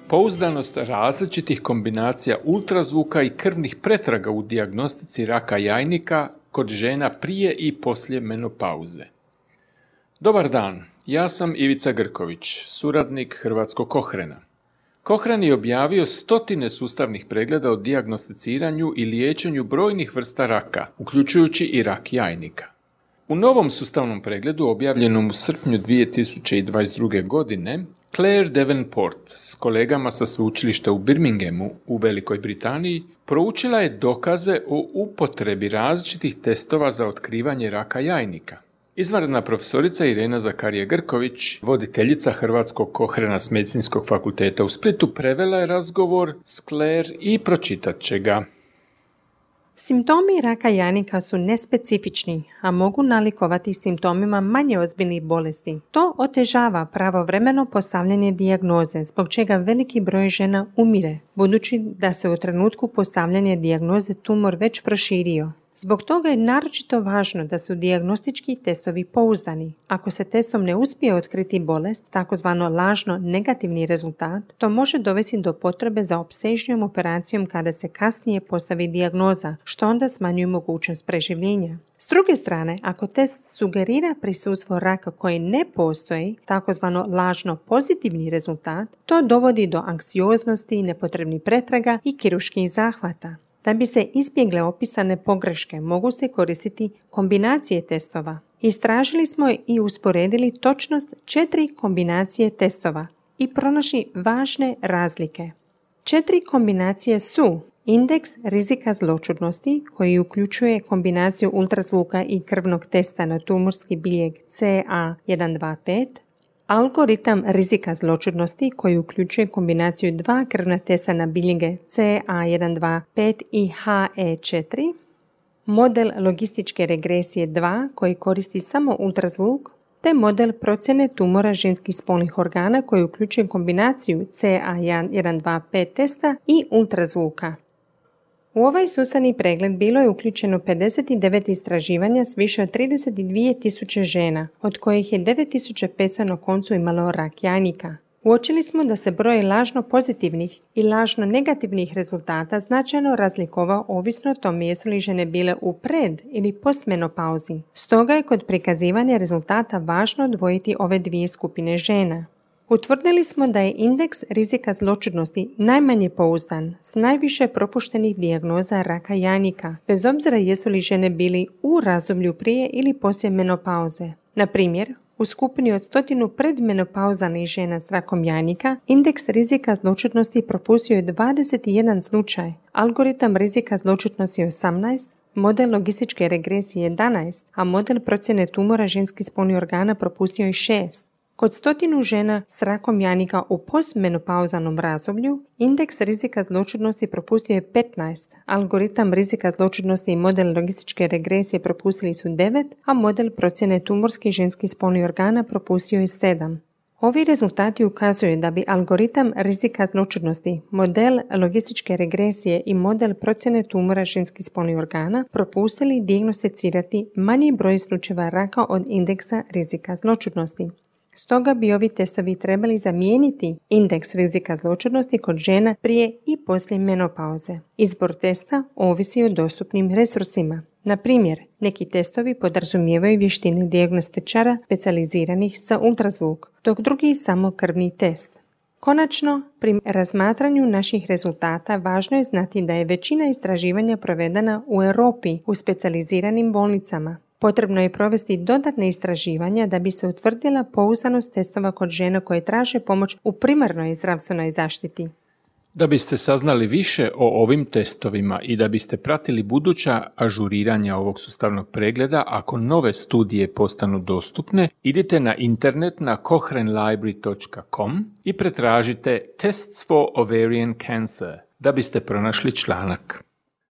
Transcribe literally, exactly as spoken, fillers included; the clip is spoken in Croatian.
Pouzdanost različitih kombinacija ultrazvuka i krvnih pretraga u dijagnostici raka jajnika kod žena prije i poslije menopauze. Dobar dan, ja sam Ivica Grković, suradnik Hrvatskog Kohrena. Kohren je objavio stotine sustavnih pregleda o dijagnosticiranju i liječenju brojnih vrsta raka, uključujući i rak jajnika. U novom sustavnom pregledu, objavljenom u srpnju dvije tisuće dvadeset druge. godine, Claire Davenport s kolegama sa sveučilišta u Birminghamu u Velikoj Britaniji proučila je dokaze o upotrebi različitih testova za otkrivanje raka jajnika. Izvanredna profesorica Irena Zakarije Grković, voditeljica Hrvatskog Kohrena s Medicinskog fakulteta u Splitu, prevela je razgovor s Claire i pročitat će ga. Simptomi raka jajnika su nespecifični, a mogu nalikovati simptomima manje ozbiljnih bolesti. To otežava pravovremeno postavljanje dijagnoze, zbog čega veliki broj žena umire, budući da se u trenutku postavljanja dijagnoze tumor već proširio. Zbog toga je naročito važno da su dijagnostički testovi pouzdani. Ako se testom ne uspije otkriti bolest, takozvano lažno negativni rezultat, to može dovesti do potrebe za opsežnijom operacijom kada se kasnije postavi dijagnoza, što onda smanjuje mogućnost preživljenja. S druge strane, ako test sugerira prisustvo raka koji ne postoji, takozvano lažno pozitivni rezultat, to dovodi do anksioznosti, nepotrebnih pretraga i kirurških zahvata. Da bi se izbjegle opisane pogreške, mogu se koristiti kombinacije testova. Istražili smo i usporedili točnost četiri kombinacije testova i pronašli važne razlike. Četiri kombinacije su indeks rizika zloćudnosti, koji uključuje kombinaciju ultrazvuka i krvnog testa na tumorski biljeg C A jedan dva pet, algoritam rizika zloćudnosti, koji uključuje kombinaciju dva krvna testa na biljege C A jedan dva pet i H E četiri, model logističke regresije dva, koji koristi samo ultrazvuk, te model procjene tumora ženskih spolnih organa, koji uključuje kombinaciju C A jedan dva pet testa i ultrazvuka. U ovaj sustavni pregled bilo je uključeno pedeset devet istraživanja s više od trideset dvije tisuće žena, od kojih je devet tisuća petsto na koncu imalo rak jajnika. Uočili smo da se broj lažno pozitivnih i lažno negativnih rezultata značajno razlikovao ovisno o tome jesu li žene bile u pred- ili postmenopauzi. Stoga je kod prikazivanja rezultata važno odvojiti ove dvije skupine žena. Utvrdili smo da je indeks rizika zloćudnosti najmanje pouzdan, s najviše propuštenih dijagnoza raka jajnika, bez obzira jesu li žene bili u razdoblju prije ili poslije menopauze. Na primjer, u skupini od stotinu predmenopauzanih žena s rakom jajnika, indeks rizika zloćudnosti propustio je dvadeset jedan slučaj, algoritam rizika zloćudnosti osamnaest, model logističke regresije jedanaest, a model procjene tumora ženskih spolnih organa propustio je šest. Kod stotinu žena s rakom jajnika u postmenopauzanom razdoblju, indeks rizika zloćudnosti propustio je petnaest, algoritam rizika zloćudnosti i model logističke regresije propustili su devet, a model procjene tumorskih ženskih spolnih organa propustio je sedam. Ovi rezultati ukazuju da bi algoritam rizika zloćudnosti, model logističke regresije i model procjene tumora ženskih spolnih organa propustili dijagnosticirati manji broj slučajeva raka od indeksa rizika zloćudnosti. Stoga bi ovi testovi trebali zamijeniti indeks rizika zloćudnosti kod žena prije i poslije menopauze. Izbor testa ovisi o dostupnim resursima. Na primjer, neki testovi podrazumijevaju vještine dijagnostičara specijaliziranih za ultrazvuk, dok drugi samo krvni test. Konačno, pri razmatranju naših rezultata važno je znati da je većina istraživanja provedena u Europi u specijaliziranim bolnicama. Potrebno je provesti dodatne istraživanja da bi se utvrdila pouzdanost testova kod žena koje traže pomoć u primarnoj zdravstvenoj zaštiti. Da biste saznali više o ovim testovima i da biste pratili buduća ažuriranja ovog sustavnog pregleda, ako nove studije postanu dostupne, idite na internet na kohren library dot com i pretražite Tests for Ovarian Cancer da biste pronašli članak.